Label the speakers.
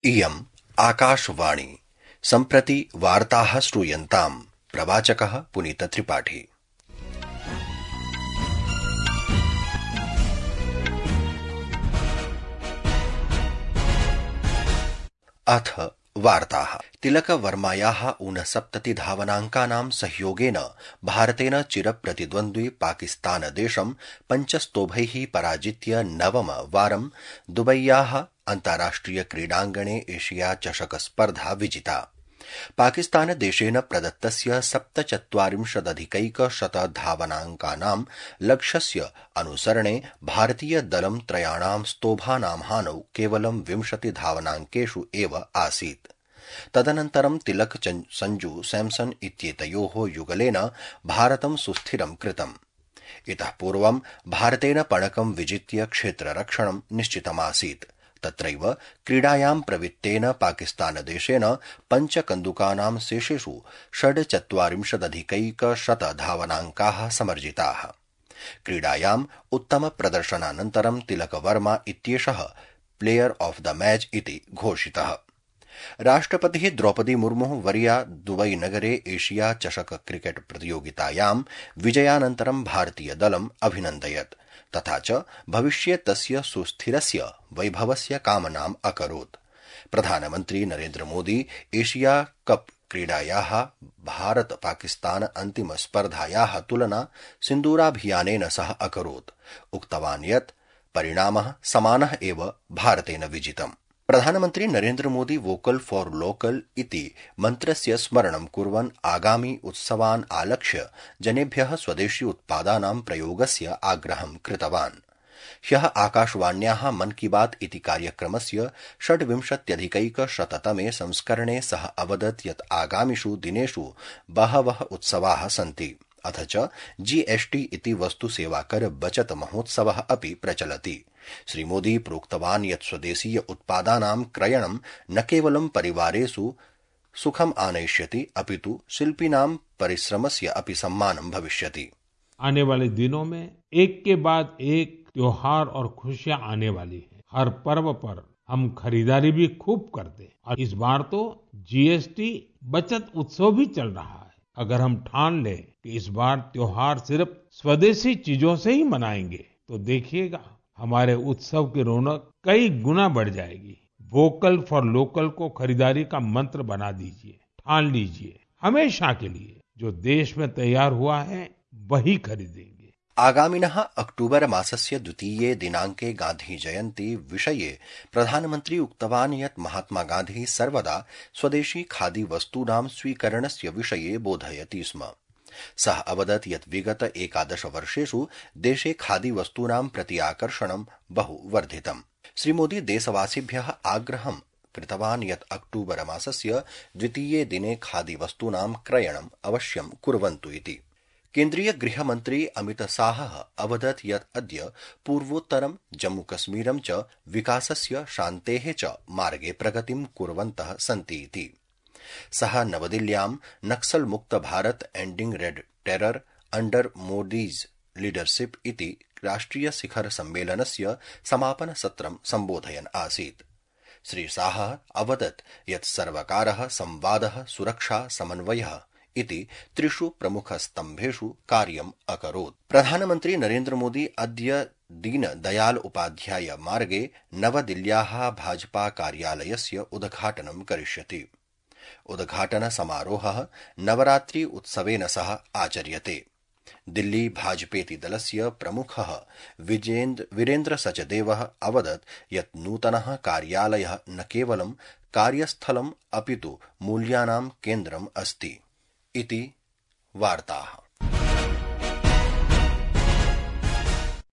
Speaker 1: इयम् आकाशवाणी सम्प्रति वार्ताः श्रूयन्ताम्। प्रवाचकः पुनीतत्रिपाठी। अथ वार्ताः। तिलकवर्मायाः 69 धावनाङ्कानां सहयोगेन भारतेन चिरप्रतिद्वन्द्वी पाकिस्तानदेशं 5 स्तोभैः पराजित्य नवमवारं दुबय्याः अन्ताराष्ट्रिय क्रीडाङ्गणे एशिया चषक स्पर्धा विजिता। पाकिस्तानदेशेन प्रदत्तस्य 47,100 धावनाङ्कानां लक्ष्यस्य अनुसरणे भारतीयदलं त्रयाणां स्तोभानां हानौ केवलं 20 धावनाङ्केषु एव आसीत्। तदनन्तरं तिलक संजू सैमसन् इत्येतयोः युगलेन भारतं सुस्थिरं कृतम्। इतः पूर्वं भारतेन पणकं विजित्य क्षेत्ररक्षणं निश्चितमासीत्। तत्रैव क्रीडायां प्रवृत्तेन पाकिस्तानदेशेन 5 कन्दुकानां शेषेषु 46,100 धावनाङ्काः समर्जिताः। क्रीडायाम् उत्तमप्रदर्शनानन्तरं तिलकवर्मा इत्येषः प्लेयर ऑफ द मैच इति घोषितः। राष्ट्रपतिः द्रौपदी मुर्मुः वर्या दुबईनगरे एशिया चषक क्रिकेट प्रतियोगितायां विजयानन्तरं भारतीयदलम् अभिनन्दयत् तथा च भविष्ये तस्य सुस्थिरस्य वैभवस्य कामनाम् अकरोत्। प्रधानमन्त्री नरेन्द्र मोदी एशिया कप क्रीडायाः भारत पाकिस्तान अन्तिम स्पर्धायाः तुलना सिन्दूराभियानेन सह अकरोत्। उक्तवान् यत् परिणामः समानः एव भारतेन विजितम्। प्रधानमन्त्री Narendra Modi vocal for local इति मन्त्रस्य स्मरणं कुर्वन् आगामि उत्सवान् आलक्ष्य जनेभ्यः स्वदेशी उत्पादानां प्रयोगस्य आग्रहं कृतवान्। ह्यः आकाशवाण्याः मन की बात इति कार्यक्रमस्य 26,100तमे संस्करणे सः अवदत् यत् आगामिषु दिनेषु बहवः उत्सवाः सन्ति। अथ च GST इति वस्तु सेवाकर बचत महोत्सवः अपि प्रचलति। श्रीमोदी प्रोक्तवान् यत् स्वदेशीय उत्पादानां क्रयणं न केवलं परिवारेषु सुखम् आनयिष्यति अपितु शिल्पिनां परिश्रमस्य अपि सम्मानं भविष्यति।
Speaker 2: आने वाले दिनों में एक के बाद एक त्योहार और खुशियां आने वाली हैं। हर पर्व पर हम खरीदारी भी खूब करते हैं और इस बार तो GST बचत उत्सव भी चल रहा है। अगर हम ठान लें कि इस बार त्योहार सिर्फ स्वदेशी चीजों से ही मनाएंगे तो देखिएगा हमारे उत्सव की रौनक कई गुना बढ़ जाएगी। वोकल फॉर लोकल को खरीदारी का मंत्र बना दीजिए, ठान लीजिए हमेशा के लिए जो देश में तैयार हुआ है वही खरीदेंगे।
Speaker 1: आगामिनः अक्टूबर मासस्य 2 दिनाङ्के गान्धी जयन्ती विषये प्रधानमन्त्री उक्तवान् यत् महात्मा गान्धी सर्वदा स्वदेशी खादी वस्तूनां स्वीकरणस्य विषये बोधयति स्म। सः अवदत् यत् विगत 11 वर्षेषु देशे खादी वस्तूनां प्रति आकर्षणं बहु वर्धितम्। श्रीमोदी देशवासिभ्यः आग्रहं कृतवान् यत् अक्टूबर मासस्य 2 दिने खादी वस्तूनां क्रयणम् अवश्यं कुर्वन्तु इति। केन्द्रीय गृहमन्त्री अमित शाहः अवदत् यत् अद्य पूर्वोत्तरं जम्मूकश्मीरं च विकासस्य शान्तेः च मार्गे प्रगतिं कुर्वन्तः सन्ति इति। सः नवदिल्ल्यां नक्सल मुक्त Bharata ending red terror under Modi's leadership इति राष्ट्रिय शिखर सम्मेलनस्य समापन सत्रं सम्बोधयन् आसीत्। श्री शाहः अवदत् यत् सर्वकारः संवादः सुरक्षा समन्वयः इति 3 प्रमुखस्तम्भेषु कार्यम् अकरोत्। प्रधानमन्त्री नरेन्द्र मोदी अद्य दीन दयाल उपाध्याय मार्गे नवदिल्ल्याः भाजपा कार्यालयस्य उद्घाटनं करिष्यति। उद्घाटन समारोहः नवरात्रि उत्सवेन सह आचर्यते। दिल्ली भाजपेति दलस्य प्रमुखः वीरेन्द्र सचदेवः अवदत् यत् नूतनः कार्यालयः न केवलं कार्यस्थलम् अपितु मूल्यानां केन्द्रम् अस्ति इति वार्ताः।